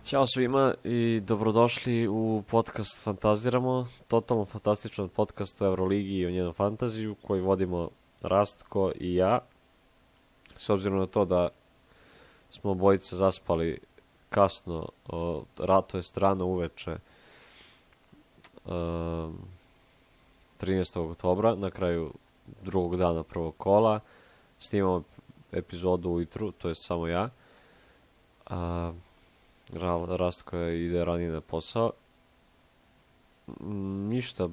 Ćao svima i dobrodošli u podcast Fantaziramo, totalno fantastičan podcast o Euroligi i o njenom fantaziju koji vodimo Rastko i ja. S obzirom na to da smo obojice zaspali kasno, to je rano uveče 13. oktobra, na kraju drugog dana prvog kola. Snimamo epizodu ujutru, to je samo ja. Rastko ide ranije na posao. Ništa,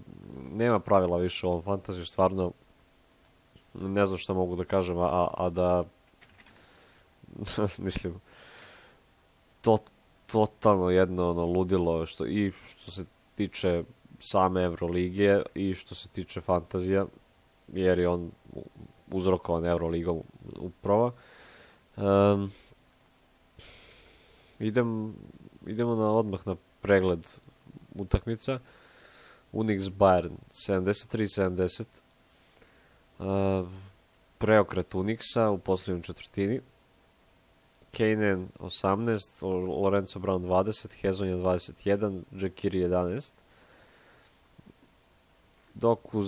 nema pravila više u ovom fantaziju, stvarno ne znam šta mogu da kažem, a da mislim totalno jedno ludilo što se tiče same Evrolige i što se tiče fantazija, jer je on uzrokovan Evroligom upravo. Idemo odmah na pregled utakmica. Unix Bayern 73-70. Preokret Unixa u posljednjoj četvrtini. Kejnen 18, Lorenzo Brown 20, Hezonja 21, Džekiri 11. Dok u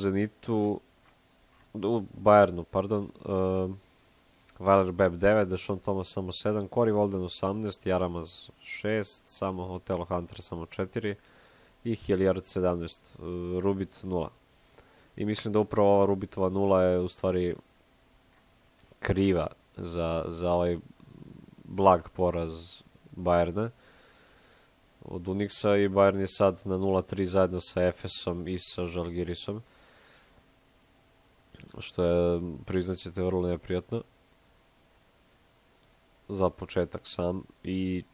Bayernu, Weiler Beb 9, Deshaun Thomas samo 7, Corey Walden 18, Jaramaz 6, samo Otelo Hunter samo 4 i Hilliard 17, Rubit 0. I mislim da upravo ova Rubitova 0 je u stvari kriva za ovaj blag poraz Bayerna od Unixa, i Bayern je sad na 0-3 zajedno sa Efesom i sa Žalgirisom, što je, priznaćete, vrlo neprijatno za početak sam, i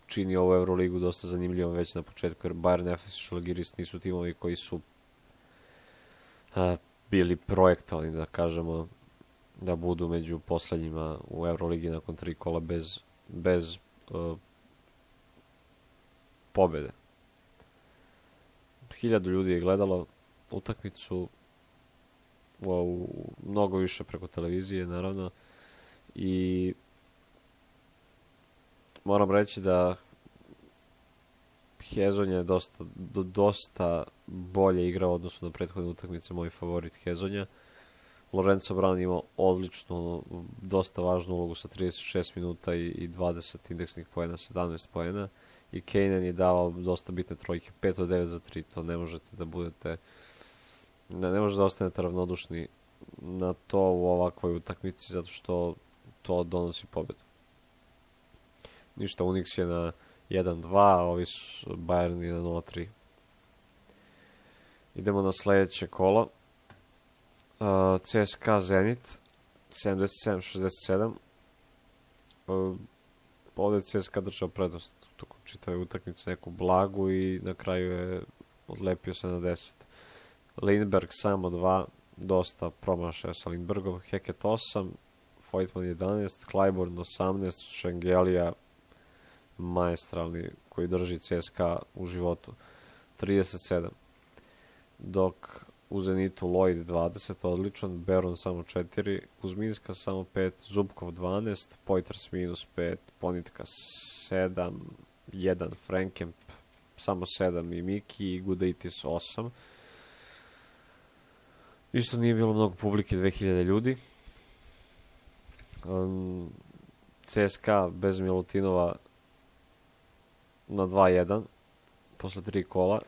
čini ovu Euroligu dosta zanimljivom već na početku, jer Bayern, Efes i Žalgiris nisu timovi koji su bili projektovani, da kažemo, da budu među poslednjima u Euroligi nakon 3 kola bez pobede. 1000 ljudi je gledalo utakmicu, mnogo više preko televizije, naravno, i moram reći da Hezonja je dosta bolje igrao odnosno na prethodne utakmice, moj favorit Hezonja. Lorenzo Brown imao odličnu, dosta važnu ulogu sa 36 minuta i 20 indeksnih poena, 17 poena, i Kejnen je davao dosta bitne trojke, 5 od 9 za 3, to ne možete da budete, ne možete da ostanete ravnodušni na to u ovakvoj utakmici, zato što to donosi pobedu. Ništa, Unix je na 1-2, ovi su Bayern je na 0-3. Idemo na sledeće kolo. CSKA Zenit 77-67. Ovdje je CSKA držao prednost tokom čitave utakmice, neku blagu, i na kraju je odlepio se na 10. Lindberg samo 2, dosta promašaja sa Lindbergom. Heket 8, Voigtman 11, Clyburn 18, Šengelija maestralni koji drži CSKA u životu 37. Dok u Zenitu Lloyd 20, odličan, Beron samo 4, Kuzminska samo 5, Zubkov 12, Poitras minus 5, Ponitka 7, 1, Frankamp samo 7 i Miki, i Gudaitis 8. Isto nije bilo mnogo publike, 2000 ljudi. CSKA bez Milutinova na 2-1 posle 3 kola.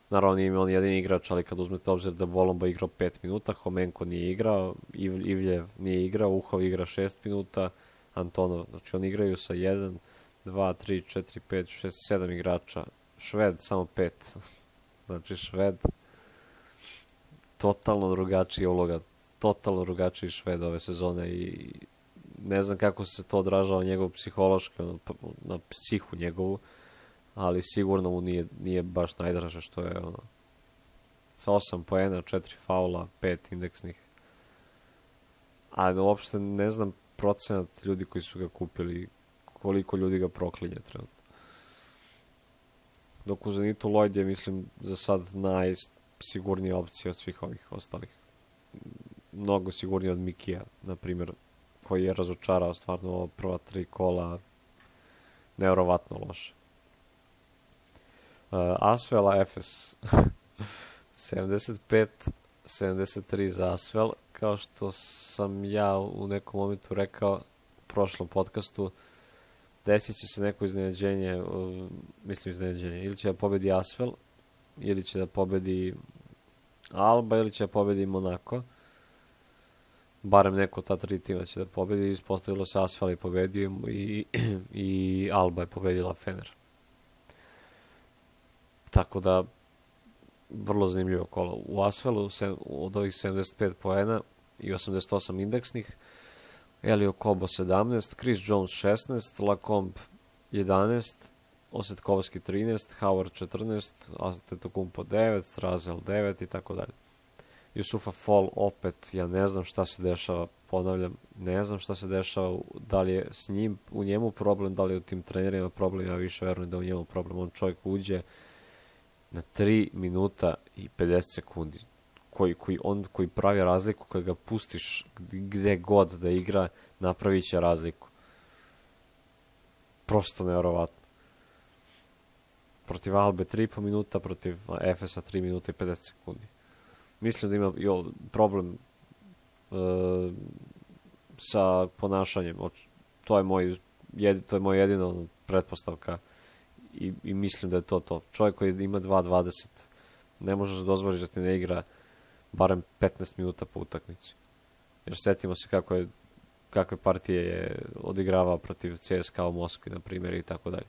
Naravno nije imao ni jedan igrač, ali kad uzmete obzir da Bolomba igrao 5 minuta, Homenko nije igrao, Ivljev nije igrao, Uhov igra 6 minuta, Antonov, znači oni igraju sa 1, 2, 3, 4, 5, 6, 7 igrača, Šved samo 5, znači Šved totalno drugačija uloga, totalno drugačiji Šved ove sezone, i ne znam kako se to odražava njegov psihološki, na psihu njegovu, ali sigurno mu nije baš najdraže što je sa 8 poena, 4 faula, 5 indeksnih. Ali uopšte ne znam procenat ljudi koji su ga kupili, koliko ljudi ga proklinje trenutno. Dok u Zenitu Lloyd je, mislim, za sad najsigurnija opcija od svih ovih ostalih. Mnogo sigurnija od Mikija, na primjer, koji je razočarao stvarno prva 3 kola nevjerovatno loše. Asvel Efes 75-73 za Asvel. Kao što sam ja u nekom momentu rekao u prošlom podcastu, desit će se neko iznenađenje, ili će da pobedi Asvel, ili će da pobedi Alba, ili će da pobedi Monako. Barem neko ta 3 tima će da pobedi. Ispostavilo se Asvel je pobedio i Alba je pobedila Fener. Tako da vrlo zanimljivo kolo. U Asvelu od ovih 75 poena i 88 indeksnih, Elio Kobo 17, Chris Jones 16, Lacombe 11, Osetkovski 13, Howard 14, Antetokounmpo 9, Strazel 9 i tako dalje. Jusufa Fall opet, ja ne znam šta se dešava, ponavljam, ne znam šta se dešava, da li je s njim, u njemu problem, da li je u tim trenerima problem, ja više verujem da u njemu problem, on čovjek uđe na 3 minuta i 50 sekundi, koji pravi razliku, kad ga pustiš gde god da igra, napravit će razliku. Prosto nevjerovatno. Protiv Albe 3,5 minuta, protiv Efesa 3 minuta i 50 sekundi. Mislim da ima problem sa ponašanjem. To je moj jedino pretpostavka i mislim da je to. Čovjek koji ima 2.20 ne može se dozvoliti da ti ne igra barem 15 minuta po utakmici. Jer setimo se kakve partije je odigravao protiv CSKA u Moskvi, na primjer, i tako dalje.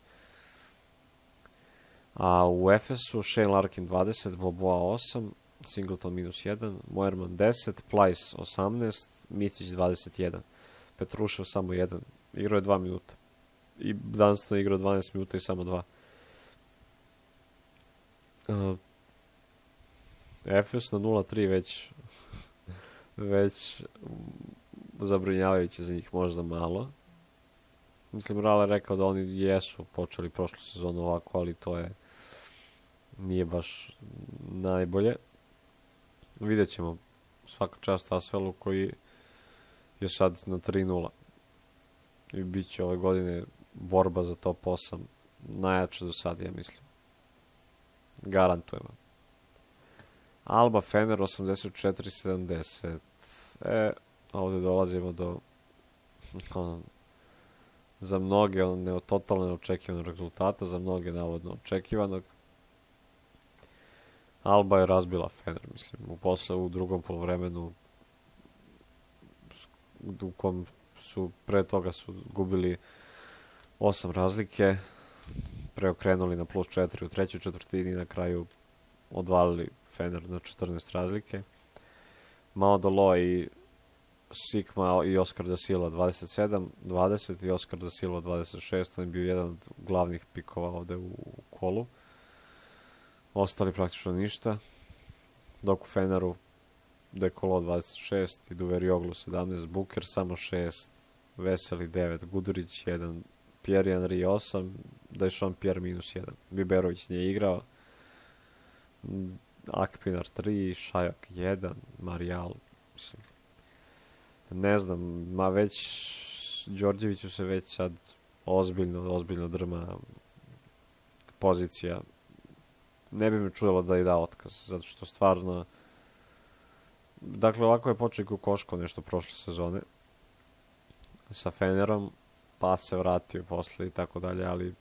A u Efesu Shane Larkin 20, Boboa 8, Singleton -1, Moerman 10, Plyce 18, Micić 21, Petrušev samo 1, igrao je 2 minuta. I Dunston igrao 12 minuta i samo 2. Efes na 0-3 već zabrinjavajuće za njih, možda malo. Mislim, Rale rekao da oni jesu počeli prošlu sezonu ovako, ali to nije baš najbolje. Vidjet ćemo, svaka čast Asvelu koji je sad na 3-0 i bit će ove godine borba za top 8 najjača do sad, ja mislim. Garantujemo. Alba Fener 84-70. Ovdje dolazimo do za mnoge totalno neočekivanog rezultata, za mnoge navodno očekivanog. Alba je razbila Fener, mislim, u drugom poluvremenu u kom su pre toga su gubili 8 razlike, preokrenuli na +4 u trećoj četvrtini i na kraju odvalili Fener na 14 razlike. Mao Dolo i Sikma i Oskar da Silva 27-20 i Oskar da Silva 26. On je bio jedan od glavnih pikova ovde u kolu. Ostali praktično ništa. Dok u Feneru Dekolo 26 i Duverioglu 17, Buker samo 6, Veseli 9, Gudurić 1, Pierre Henry 8, Dešon Pierre -1. Biberović nije igrao. Akpinar 3, Šajak 1, Marijal, mislim, ne znam, Đorđeviću se već sad ozbiljno drma pozicija. Ne bi me čudilo da i da otkaz, zato što stvarno, dakle, ovako je počeo Kokoško nešto prošle sezone sa Fenerom, pa se vratio posle i tako dalje, ali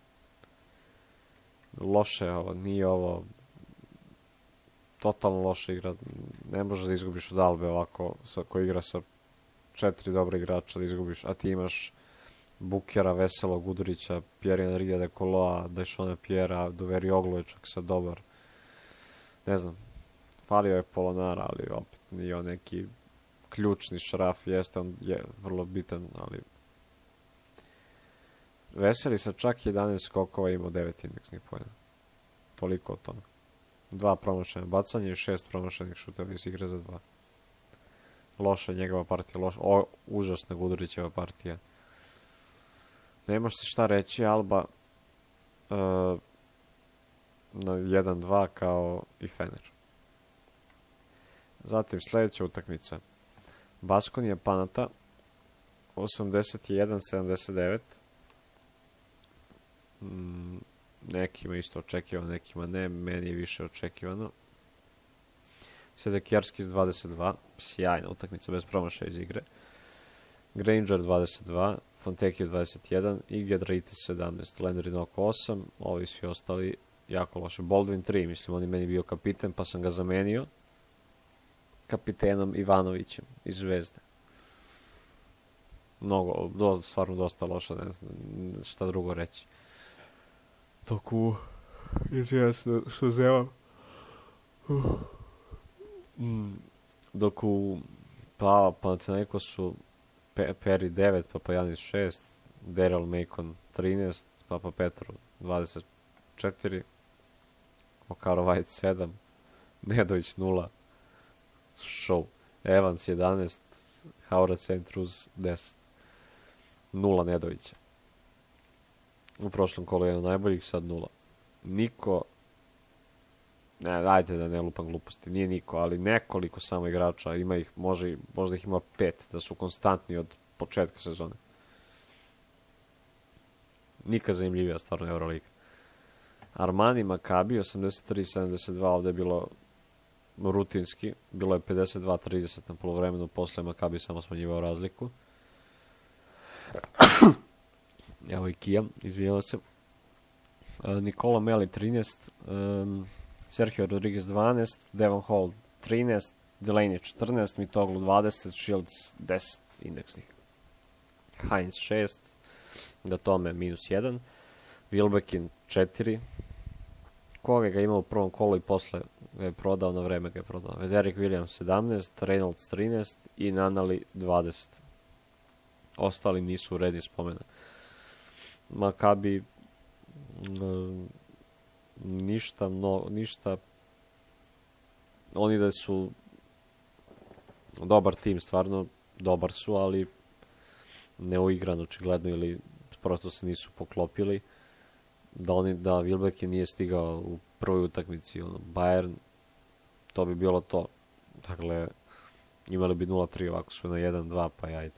loše ovo, nije ovo totalno loša igra. Ne možeš da izgubiš od Albe ovako, koji igra sa 4 dobra igrača, da izgubiš, a ti imaš Bukera, Veselog, Gudurića, Pierre Henry, Dekoloa, Dešona Pierre, Duverioglu je čak sad dobar. Ne znam, falio je Polonara, ali opet nije on neki ključni šraf, jeste, on je vrlo bitan, ali Veseli sa čak 11 skokova imao 9 indeksnih poena. Toliko o tome. 2 promašene bacanja i 6 promašenih šuteva iz igre za 2. Loša njegova partija, užasna Gudurićeva partija. Nemaš se šta reći, Alba na 1-2 kao i Fener. Zatim sljedeća utakmica. Baskonija Panata 81-79. Nekima isto očekivano, nekima ne, meni je više očekivano. Sedekijarski 22, sjajna utakmica bez promašaja iz igre. Granger 22, Fontecchio 21 i Giedraitis 17, Landry oko 8, ovi svi ostali jako loše. Baldwin 3, mislim, on je meni bio kapiten, pa sam ga zamenio kapitenom Ivanovićem iz Zvezde. Stvarno dosta loša, ne znam šta drugo reći. Izvijem se što zevam. Dok u Panathinaikosu Perry 9, Papagiannis 6, Daryl Macon 13, Papa Petru 24, Okaro White 7, Nedović 0, show, Evans 11, Haurac Centruz 10, 0 Nedovića. U prošlom kolu jedan najboljih, sad 0. Niko, ajde da ne lupam gluposti, nije niko, ali nekoliko samo igrača, ima ih, možda ih ima 5, da su konstantni od početka sezone. Nikad zanimljivija stvarno Euroliga. Armani Maccabi 83-72, ovde je bilo rutinski, bilo je 52-30 na polovremenu, posle Maccabi samo smanjivao razliku. Evo i Kijam, izvinjava se. Nikola Meli 13, Sergio Rodriguez 12, Devon Hall 13, Delaney 14, Mitoglu 20, Shields 10 indeksnih. Heinz 6, Datome minus 1, Wilbekin 4, koga ga ima u prvom kolu i posle ga je prodao, na vreme ga je prodao. Derek Williams 17, Reynolds 13 i Nanali 20. Ostali nisu u redi spomena. Maccabi ništa oni da su dobar tim, stvarno dobar su, ali neuigran očigledno ili prosto se nisu poklopili da Wilbekin nije stigao u prvoj utakmici Bayern, to bi bilo to. Dakle, imali bi 0-3, ovako su na 1-2, pa ajde.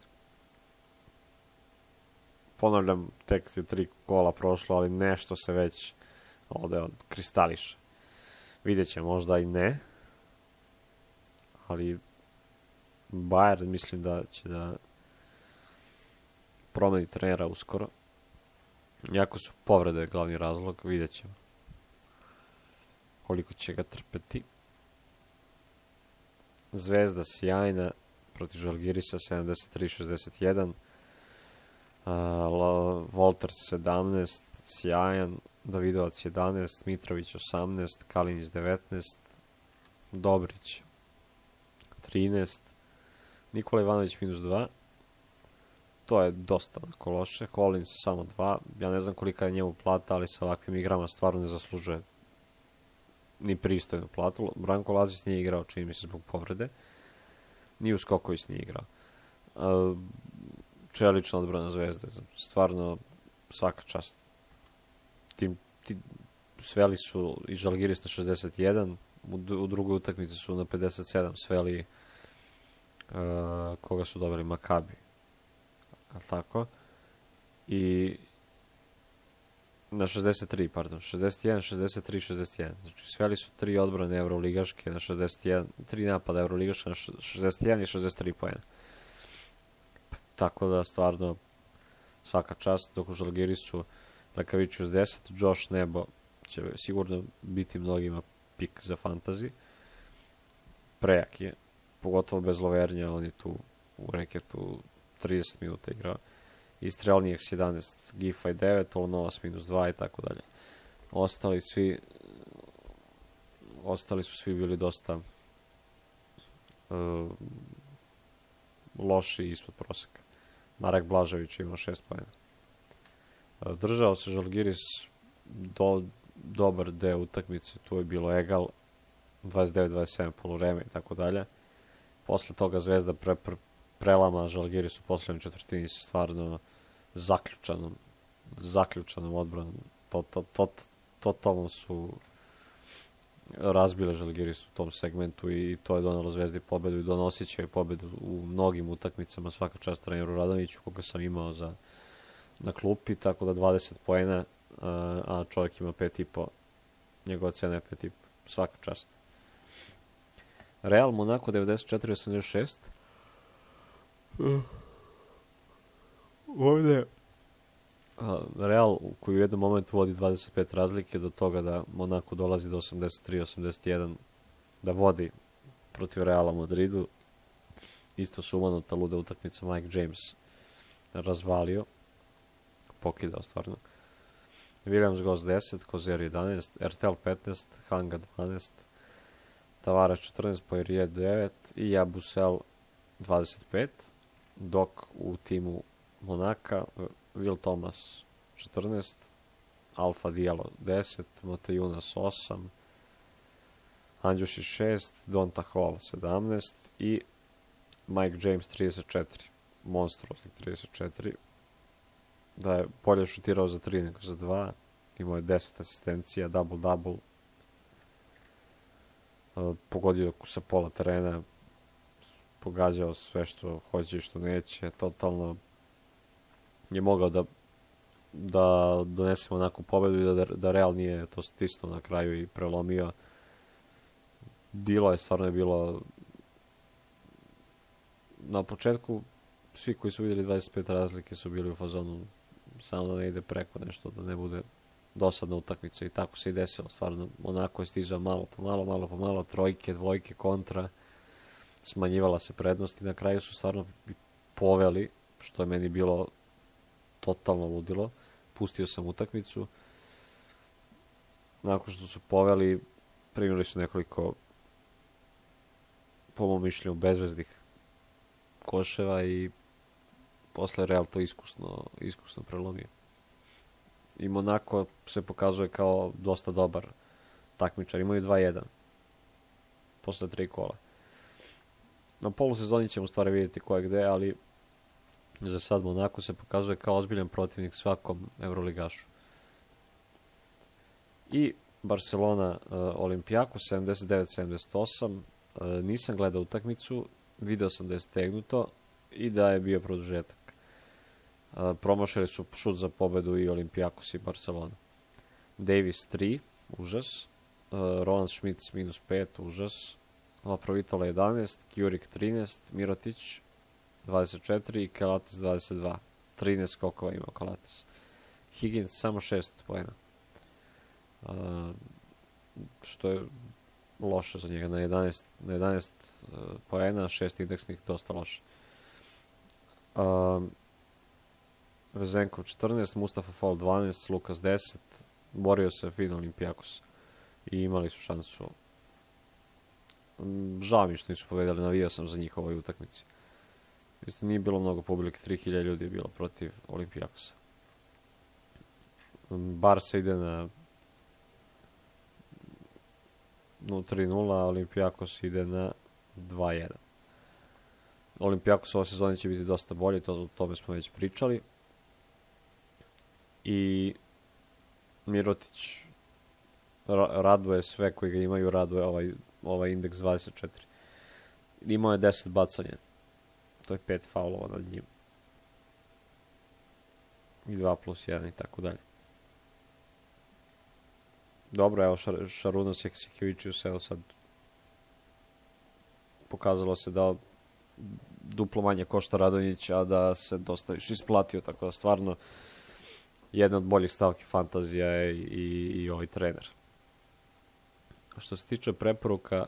Ponavljam, tek je 3 kola prošlo, ali nešto se već ovde kristališe. Vidjet će, možda i ne, ali Bayern mislim da će da promeni trenera uskoro. Jako su povrede glavni razlog, vidjet ćemo koliko će ga trpeti. Zvezda sjajna protiv Žalgirisa 73-61, Volters 17, sjajan, Davidovac 11, Mitrović 18, Kalinić 19, Dobrić 13, Nikola Ivanović minus 2, to je dosta onako loše. Collins samo 2, ja ne znam kolika je njemu plata, ali sa ovakvim igrama stvarno ne zaslužuje ni pristojnu platu. Branko Lazić nije igrao, čini mi se, zbog povrede, ni Uskoković nije igrao. Čelična odbrana Zvezde, stvarno svaka čast. Sveli su i Žalgiris na 61, u drugoj utakmici su na 57 sveli koga su dobili, Maccabi, tako, i na 63, pardon, 61, 63, 61, znači sveli su 3 odbrane euroligaške na 61, 3 napada euroligaške na 61 i 63 poena. Tako da stvarno svaka čast, dok u Žalgirisu Lekaviću s 10, Josh Nebo će sigurno biti mnogima pik za fantasy. Prejak je, pogotovo bez Lovernja, on je tu u reketu 30 minuta igrao. I Strelnijek 11, Giffey 9, Olnovas minus 2 i tako dalje. Ostali su svi bili dosta loši i ispod proseka. Marek Blažević imao 6 poena. Držao se Žalgiris dobar deo utakmice, tu je bilo egal, 29-27 poluvreme i tako dalje. Posle toga Zvezda prelama Žalgiris u poslednjoj četvrtini sa stvarno zaključanom odbranom. Totalno su razbile Žalgiris u tom segmentu i to je donalo Zvezdi pobedu i donosit će pobedu u mnogim utakmicama. Svaka čast treneru Radonjiću, koga sam imao na klupi, tako da 20 poena a čovjek ima 5,5. Njegova cena je 5,5. Svaka čast. Real Monaco 94-86. Ovdje Real koji u jednom momentu vodi 25 razlike do toga da Monaco dolazi do 83-81 da vodi protiv Reala Madridu. Isto sumanuta luda utakmica, Mike James razvalio, pokidao stvarno. Williams Goss 10, Kozer 11, RTL 15, Hanga 12, Tavares 14, Poirier 9 i Jabusel 25, dok u timu Monaka Will Thomas 14, Alfa Diallo 10, Motejunas 8, Andjušić 6, Donta Hall 17 i Mike James 34, monstruoznih 34, da je bolje šutirao za 3 nego za 2, imao je 10 asistencija, double-double, pogodio sa pola terena, pogađao sve što hoće i što neće, totalno je mogao da donesemo onakvu pobedu i da Real nije to stisnuo na kraju i prelomio. Stvarno je bilo na početku, svi koji su vidjeli 25 razlike su bili u fazonu samo da ne ide preko nešto, da ne bude dosadna utakmica i tako se i desilo. Stvarno, onako je stizao malo po malo, trojke, dvojke, kontra, smanjivala se prednost i na kraju su stvarno poveli, što je meni bilo totalno ludilo. Pustio sam utakmicu. Nakon što su poveli, primili su nekoliko, po mom mišljenju, bezveznih koševa i posle Real to iskusno prelomio. I Monaco se pokazuje kao dosta dobar takmičar. Imaju 2-1 posle 3 kola. Na polusezoni ćemo stvari vidjeti ko je gde, ali za sad Monaco se pokazuje kao ozbiljan protivnik svakom Euroligašu. I Barcelona Olimpijako 79-78. Nisam gledao utakmicu, video sam da je stegnuto i da je bio produžetak. Promašili su šut za pobedu i Olimpijakos i Barcelona. Davis 3, užas. Roland Schmitz -5, užas. Laprovitola 11, Kjurik 13, Mirotić 24 i Kalates 22. 13 skokova imao Kalates. Higgins samo 6 poena. Što je loše za njega. Na 11 poena, 6 indeksnih, dosta loše. Vezenkov 14, Mustafa Fall 12, Lukas 10. Borio se fin Olimpijakos i imali su šansu. Žao mi što nisu povedali, navijao sam za njih ovoj utakmici. Isto nije bilo mnogo publike, 3000 ljudi je bilo protiv Olimpijakosa. Barca ide na 3-0, a Olimpijakos ide na 2-1. Olimpijakos ove sezone će biti dosta bolji, o tome smo već pričali. I Mirotić raduje sve koji ga imaju, raduje ovaj indeks 24. Imao je 10 bacanja. To je 5 faulova nad njim. I 2+1 i tako dalje. Dobro, evo Šarunas Jaksekevičius, evo sad pokazalo se da duplo manje košta Radonjić, a da se dosta više isplatio, tako da stvarno jedna od boljih stavki fantazija je i ovaj trener. Što se tiče preporuka,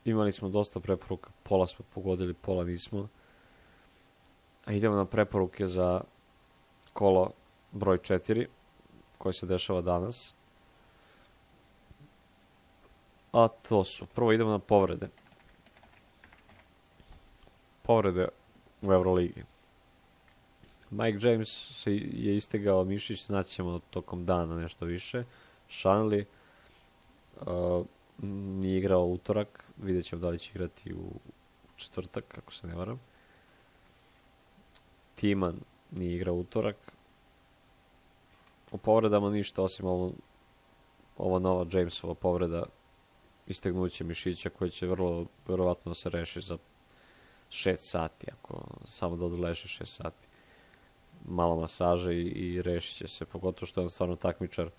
imali smo dosta preporuka, pola smo pogodili, pola nismo. A idemo na preporuke za kolo broj 4, koje se dešava danas. A to su, prvo idemo na povrede. Povrede u Euroligi. Mike James je istegao mišić, znaćemo tokom dana nešto više. Shanley nije igrao utorak, vidjet ćemo da li će igrati u četvrtak, kako se ne varam. Timan nije igrao utorak. O povredama ništa, osim ova nova Jamesova povreda, istegnuće mišića, koje će vrlo verovatno se reši za 6 sati, ako samo da odleže 6 sati. malo masaže i rešit će se, pogotovo što je on stvarno takmičar.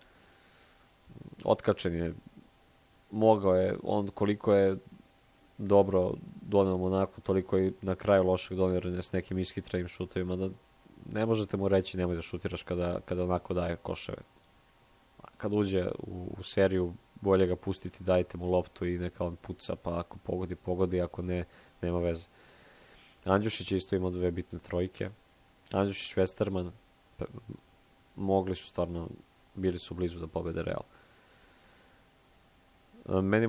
Otkačen je, mogao je, on koliko je dobro doneo Monaku, toliko i na kraju lošeg donio s nekim ishitrenim šutovima, da ne možete mu reći nemoj da šutiraš kada onako daje koševe. Kad uđe u seriju, bolje ga pustiti, dajte mu loptu i neka on puca, pa ako pogodi, ako ne, nema veze. Andjušić je isto imao 2 bitne trojke. Andjušić, Westerman, mogli su stvarno, bili su blizu da pobede Real. Meni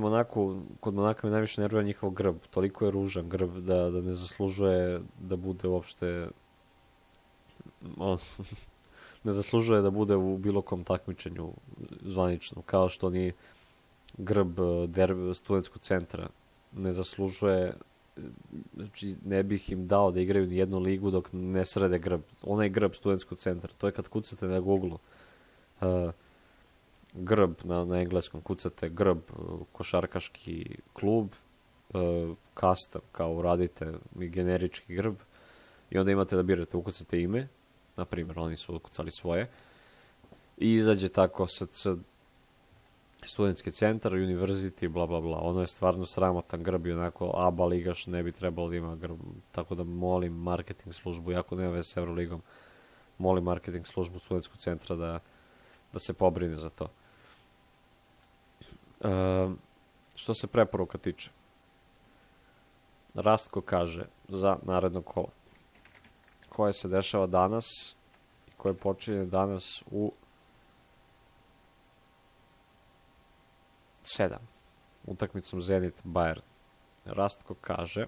kod Monaka me najviše nervira njihov grb. Toliko je ružan grb da ne zaslužuje da bude uopšte ne zaslužuje da bude u bilo kom takmičenju zvaničnom, kao što ni grb studentskog centra ne zaslužuje. Znači, ne bih im dao da igraju ni jednu ligu dok ne srede grb. Onaj grb studentskog centra, to je kad kucate na Google grb na engleskom, kucate grb košarkaški klub, custom, kao uradite generički grb i onda imate da birate, ukucate ime, na primjer, oni su ukucali svoje i izađe tako studentski centar, univerzity, bla bla bla. Ono je stvarno sramotan grb i onako ABA ligaš ne bi trebalo da ima grb, tako da molim marketing službu, jako nema veze s Euroligom, molim marketing službu studentskog centra da se pobrine za to. Što se preporuka tiče, Rastko kaže za naredno kolo koje se dešava danas i koje počinje danas u 7 utakmicom Zenit Bayern. Rastko kaže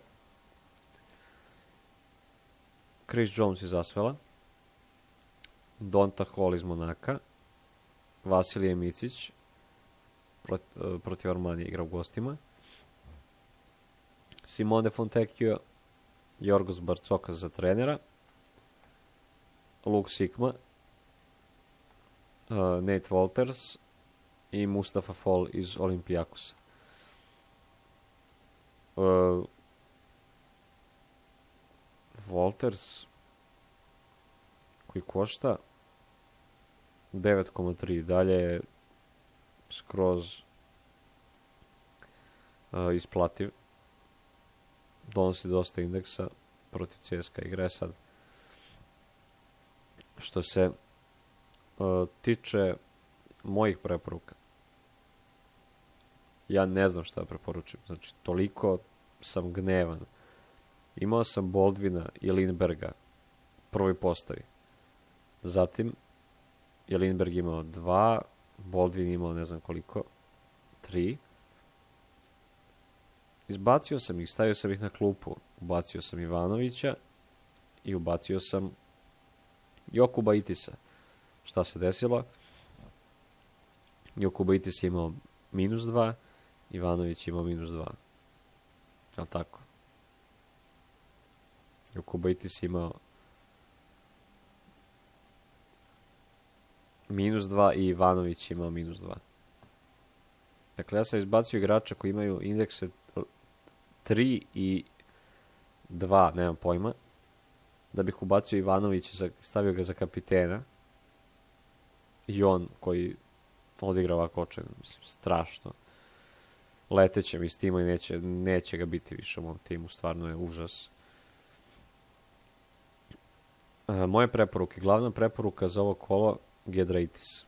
Chris Jones iz Asvela, Donta Hall iz Monaka, Vasilije Micić protiv Armanije igra u gostima, Simone Fontecchio, Jorgos Barcokas za trenera, Luke Sikma, Nate Walters i Mustafa Fall iz Olympiakosa. Walters koji košta 9,3, dalje je skroz isplativ, donosi dosta indeksa, protiv CSKA igre sad. Što se tiče mojih preporuka, ja ne znam šta da preporučim, znači toliko sam gnevan. Imao sam Baldwina i Lindberga prvoj postavi, zatim je Lindberg imao 2, Baldwin imao ne znam koliko, 3. Izbacio sam ih, stavio sam ih na klupu, ubacio sam Ivanovića i ubacio sam Jokuba Itisa. Šta se desilo? Jokuba Itis je imao -2, Ivanović je imao -2. Jel' tako? Jokuba Itis je imao -2 i Ivanović je imao -2. Dakle, ja sam izbacio igrača koji imaju indekse 3 i 2, nemam pojma, da bih ubacio Ivanovića, stavio ga za kapitena i on koji odigra ovako očajno, mislim, strašno. Leteće mi s tima i neće ga biti više u mom timu, stvarno je užas. Moje preporuke, glavna preporuka za ovo kolo, Giedraitis.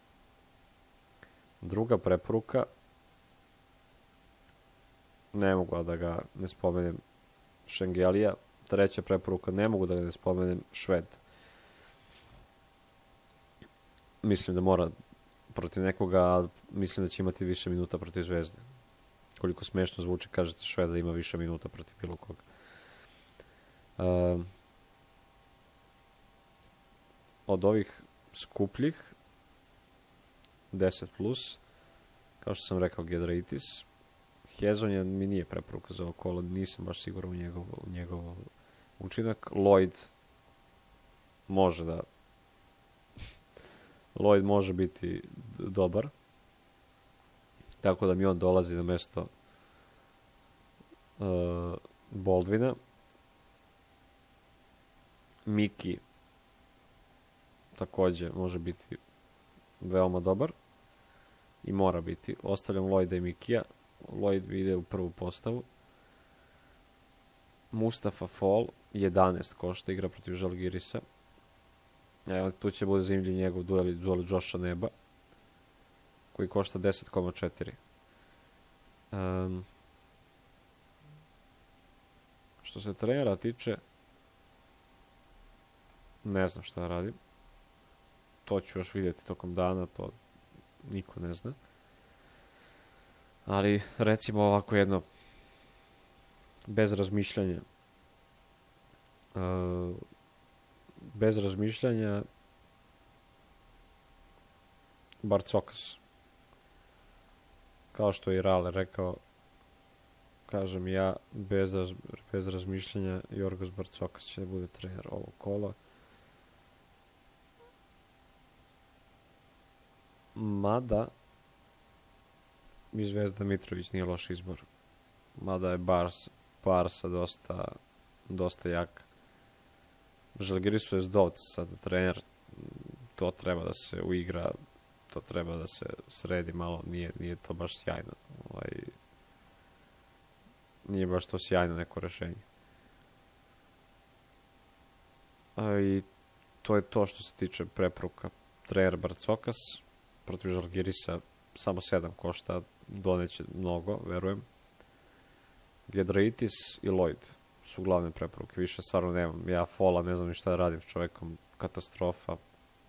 Druga preporuka, ne mogu da ga ne spomenem, Šengelija. Treća preporuka, ne mogu da ga ne spomenem, Šved. Mislim da mora protiv nekoga, a mislim da će imati više minuta protiv Zvezde. Koliko smešno zvuči, kažete Šved da ima više minuta protiv bilo koga. Od ovih skupljih 10+, kao što sam rekao, Giedraitis. Hezonja mi nije preporuka za ovo kolo, nisam baš siguran u njegov učinak. Lloyd može biti dobar, tako da mi on dolazi na mesto Baldwina. Miki takođe može biti veoma dobar i mora biti. Ostavljam Lloyda i Mikija. Lloyd ide u prvu postavu. Mustafa Fall 11 košta, igra protiv Žalgirisa. Evo, tu će bude zanimljiv njegov duel Josha Neba, koji košta 10,4. Što se trenera tiče, ne znam šta radim. To ću još vidjeti tokom dana, to niko ne zna. Ali, recimo ovako jedno, bez razmišljanja, Barcokas. Kao što je i Rale rekao, kažem ja, bez razmišljanja, Jorgos Barcokas će da bude trener ovog kola. Mada i Zvezda Mitrović nije loš izbor. Mada je Barsa dosta jak. Žalgirisu je Zdovc sada trener. To treba da se uigra, to treba da se sredi malo. Nije to baš sjajno. Nije baš to sjajno neko rešenje. I to je to što se tiče preporuka. Trener Barcokas protiv Žalgirisa samo 7 košta, doneće mnogo, verujem. Giedraitis i Lloyd su glavne preporuke. Više stvarno nemam. Ja Fola ne znam ni šta da radim s čovekom. Katastrofa.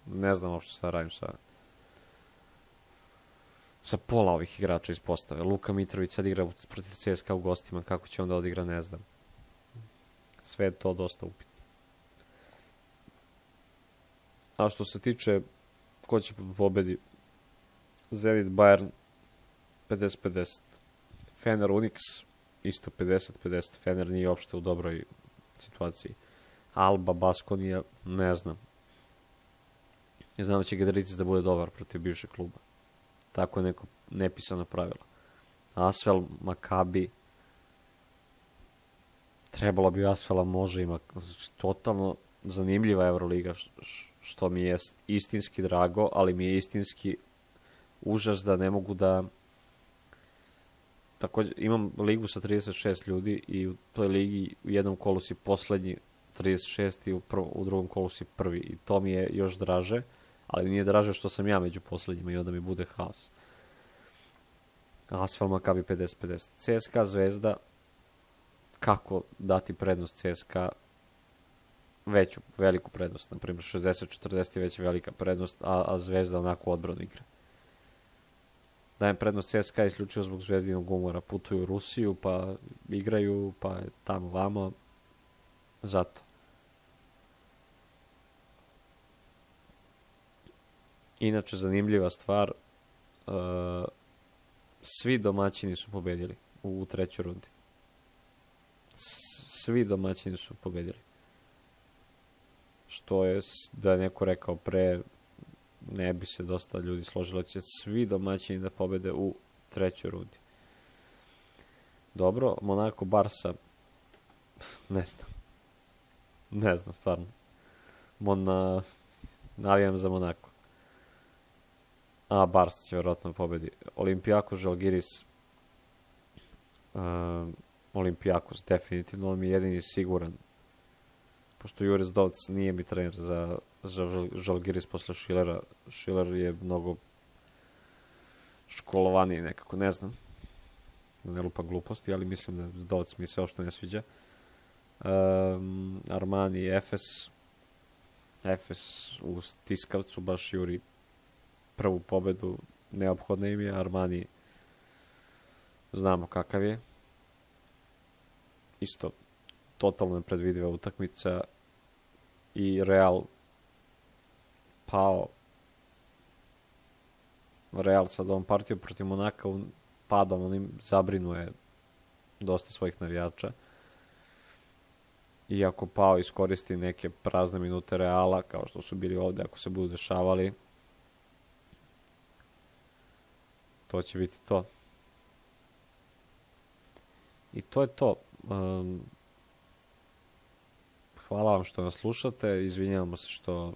Ne znam uopšte šta da radim sa pola ovih igrača iz postave. Luka Mitrović sad igra protiv CSKA u gostima. Kako će onda odigra, ne znam. Sve je to dosta upitno. A što se tiče ko će pobedi, Zenit Bayern 50-50. Fener Unix isto 50-50. Fener nije uopšte u dobroj situaciji. Alba Baskonija, ne znam. Ne znam da će Giedraitis da bude dobar protiv bivšeg kluba. Tako je neko nepisano pravilo. Asvel, Makabi. Trebalo bi Asvela, može ima. Totalno zanimljiva Euroliga, što mi je istinski drago, ali mi je istinski užas da ne mogu da... Također, imam ligu sa 36 ljudi i u toj ligi u jednom kolu si poslednji 36 i u drugom kolu si prvi. I to mi je još draže, ali nije draže što sam ja među poslednjima i onda mi bude haos. Asfal Makabi 50-50. CSKA Zvezda, kako dati prednost CSKA? Veliku prednost, na primjer 60-40 je već velika prednost, a Zvezda onako odbranu igra. Dajem prednost CSKA isključivo zbog Zvezdinog umora. Putuju u Rusiju, pa igraju, pa je tamo vamo. Zato. Inače, zanimljiva stvar, svi domaćini su pobedili u trećoj rundi. Svi domaćini su pobedili. Što je, da je neko rekao pre, ne bi se dosta ljudi složilo, će svi domaćini da pobede u trećoj rundi. Dobro, Monako, Barsa, ne znam, stvarno. Navijam za Monako. A, Barsa će verovatno pobedi. Olympiakos, Žalgiris, Olympiakos, definitivno, on mi je jedini siguran. Pošto Juris Dovc nije mi trener za Žalgiris posle Schillera. Schiller je mnogo školovaniji nekako, ne znam. Ne lupa gluposti, ali mislim da Dovc mi se uopšte ne sviđa. Armani i Efes u Tiskavcu baš juri prvu pobedu, neophodna im je. Armani znamo kakav je. Isto totalno nepredvidiva utakmica i Real pao. Real sad ovom partijom protiv Monaka padom, onim zabrinuje dosta svojih navijača. I ako pao iskoristi neke prazne minute Reala, kao što su bili ovde, ako se budu dešavali, to će biti to. I to je to. Hvala vam što nas slušate, izvinjavamo se što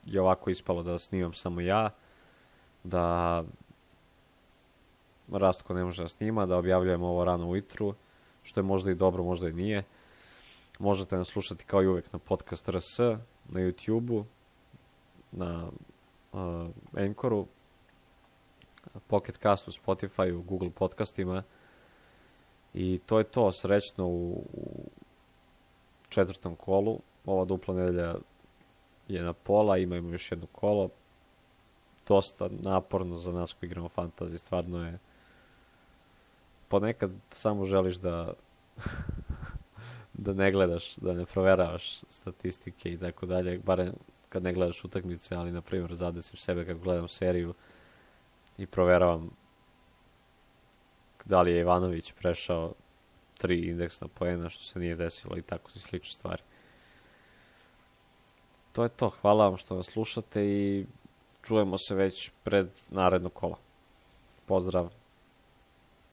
je ovako ispalo da snimam samo ja, da Rastko ne može da snima, da objavljujem ovo rano ujutru, što je možda i dobro, možda i nije. Možete nas slušati kao i uvek na Podcast RS, na YouTube-u, na Anchoru, Pocket Castu, Spotify-u, Google podcastima. I to je to, srećno u 4. kolu. Ova dupla nedelja je na pola, imamo još jedno kolo. Dosta naporno za nas koji igramo fantasy, stvarno je. Ponekad samo želiš da da ne gledaš, da ne proveravaš statistike i tako dalje, barem kad ne gledaš utakmice, ali na primjer zadesim sebe kad gledam seriju i proveravam da li je Ivanović prešao 3 indeksna poena, što se nije desilo i tako si slične stvari. To je to, hvala vam što nas slušate i čujemo se već pred naredno kola. Pozdrav!